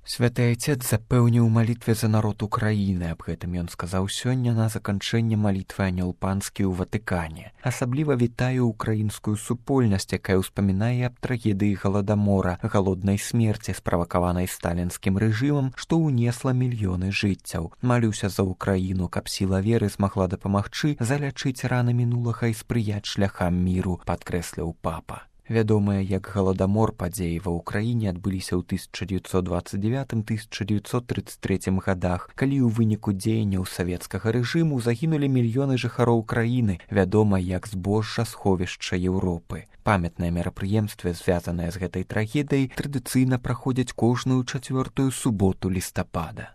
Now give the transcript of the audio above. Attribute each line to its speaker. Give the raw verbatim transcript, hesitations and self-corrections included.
Speaker 1: Святы Айцец запэўніў у малітве за народ Украіны. Аб гэтым ён сказаў сёння на заканчэнне малітвы Анёл Панскі ў Ватыкане. Асабліва вітаю украінскую супольнасць, якая ўспамінае аб трагедыі галадамора, галоднай смерці, справакаванай сталінскім рэжымам, што ўнесла мільёны жыццяў. Малюся за Украіну, каб сіла веры змагла дапамагчы залячыць раны мінулага і спрыяць шляхам міру, падкрэсліў папа. Вядомыя як галадамор падзеі ва ўкраіне адбыліся ў тысяча дзевяцьсот дваццаць дзевятым — тысяча дзевяцьсот трыццаць трэцім гадах, калі ў выніку дзеянняў савецкага рэжыму загінулі мільёны жыхароў краіны, вядома як збожжа сховішча Еўропы. Памятныя мерапрыемствы, звязаныя з гэтай трагедыяй, традыцыйна праходзяць кожную чацвёртую суботу лістапада.